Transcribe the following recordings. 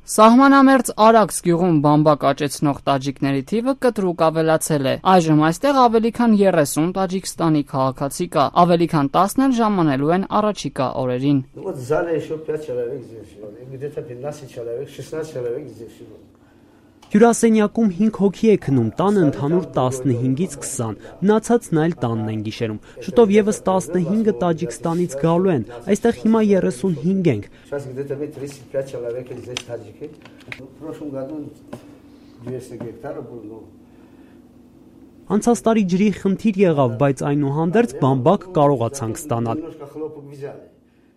Սահմանամերձ Արաքս գյուղում բամբակ աճեցնող տաջիկների թիվը կտրուկ ավելացել է։ Այժմ այստեղ ավելի քան 30 Տաջիկստանի քաղաքացի կա, ավելի քան 10-ն էլ ժամանելու են առաջիկա օրերին։ Հյուրասենյակում 5 հոգի է քնում, տանը ընդհանուր 15-ից 20, մնացածն այլ տանն են գիշերում։ Շուտով եւս 15 Տաջիկստանից գալու են, այստեղ հիմա 35 ենք։ Անցած տարի ջրի խնդիր եղավ, բայց այնուհանդերձ բամբակ կարողացանք ստանալ։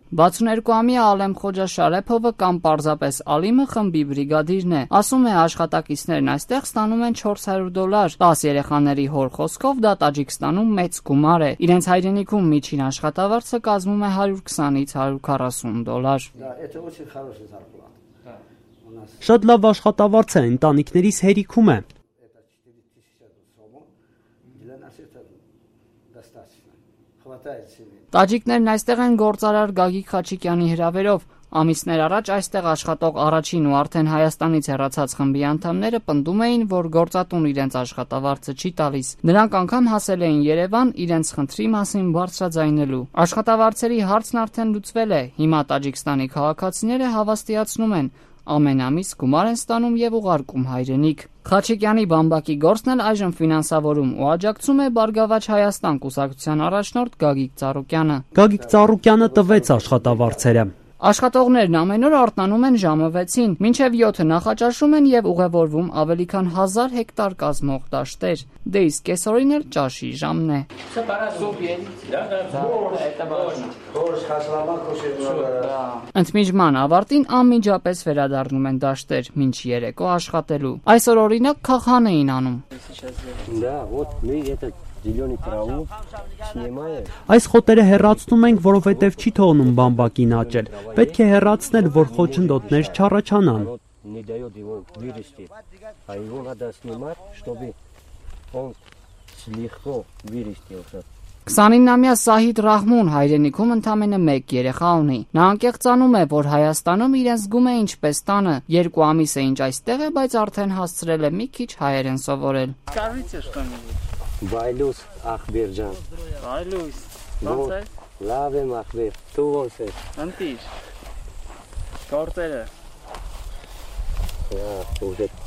62-ամյա Ալեմ Խոջա Շարեփովը կամ պարզապես Ալիմը խմբի բրիգադիրն է։ Ասում է, աշխատակիցներն այստեղ ստանում են $400, 10 երեխաների հոր խոսքով դա Տաջիկստանում մեծ գումար է։ Իրենց հայրենիքում միջին աշխատավարձը կազմում է $120-ից $140։ Շատ լավ աշխատավարձ է, ընտանիքներիս հերիքում է։ Տաջիկներն այստեղ են գործարար Գագիկ Խաչիկյանի հրավերով։ Ամիսներ առաջ այստեղ աշխատող առաջին ու արդեն Հայաստանից հեռացած խմբի անդամները պնդում էին, որ գործատուն իրենց աշխատավարձը չի տալիս։ Նրանք անգամ հասել էին Երևան իրենց խնդրի մասին բարձրաձայնելու։ Աշխատավարձերի հարցն արդեն լուծվել է։ Հիմա Տաջիկստանի քաղաքացիները հավաստիացնում են, ամեն ամիս գումար են ստանում եւ ուղարկում հայրենիք։ Խաչիկյանի բամբակի գործն էլ այժմ ֆինանսավորում ու աջակցում է Բարգավաճ Հայաստան կուսակցության առաջնորդ Գագիկ Ծառուկյանը։ Գագիկ Ծառուկյանը տվեց աշխատավարձերը։ Աշխատողներն ամեն օր արթնանում են ժամը 6-ին, մինչև 7-ը նախաճաշում են եւ ուղևորվում ավելի քան 1000 հեկտար կազմող դաշտեր։ Դե իսկ կեսօրին էլ ճաշի ժամն է։ Ընդմիջման ավարտին անմիջապես վերադառնում են դաշտեր, մինչ երեկո աշխատելու։ Այսօր օրինակ քաղհան էին անում։ Այս խոտերը հեռացնում ենք, որովհետև չի թողնում բամբակին աճել։ Պետք է հեռացնել, որ խոչընդոտներ չառաջանան։ 29-ամյա Սահիդ Ռահմուն հայրենիքում ընդամենը 1 երեխա ունի։ Նա անկեղծանում է, որ Հայաստանում իրեն զգում է ինչպես տանը։ 2 ամիս է ինչ այստեղ է, բայց արդեն հասցրել է մի քիչ հայերեն սովորել։ Բայլուս ախբեր ջան։ Բայլուս, ո՞նց է։ Լավ եմ ախբեր, դու ո՞նց ես։ Ընտիր։ Գործերը։ Ուղետ։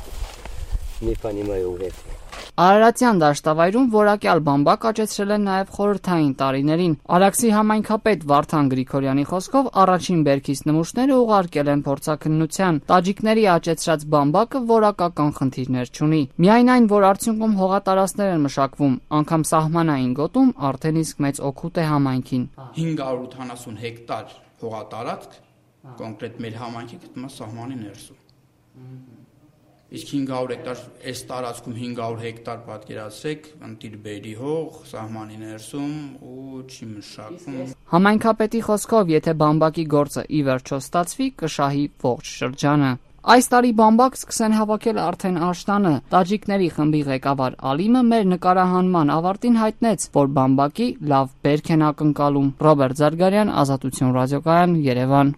Մի բանի մայ ուղետ։ Արարատյան դաշտավայրում որակյալ բամբակ աճեցրել են նաև խորհրդային տարիներին։ Արաքսի համայնքապետ Վարդան Գրիգորյանի խոսքով առաջին բերքից նմուշները ուղարկել են փորձաքննության։ Տաջիկների աճեցրած բամբակը որակական խնդիրներ չունի։ Միայն այն, որ արդյունքում հողատարածքներ են մշակվում, անգամ սահմանային գոտում արդեն իսկ մեծ օգուտ է համայնքին։ 580 հեկտար հողատարածք կոնկրետ մեր համայնքի գտնվում է սահմանի ներսում։ Իսկ 500 հեկտար այս տարածքում 500 հեկտար պատկերացրեք, ընտիր բերի հող, սահմանի ներսում ու չի մշակվում։ Համայնքապետի խոսքով, եթե բամբակի գործը ի վերջո ստացվի, կշահի ողջ շրջանը։ Այս տարի բամբակ սկսեն հավաքել արդեն աշտանը։ Տաջիկների խմբի ղեկավար Ալիմը մեր նկարահանման ավարտին հայտնեց, որ բամբակի լավ բերք են ակնկալում։ Ռոբերտ Զարգարյան, Ազատություն ռադիոկայան, Երևան։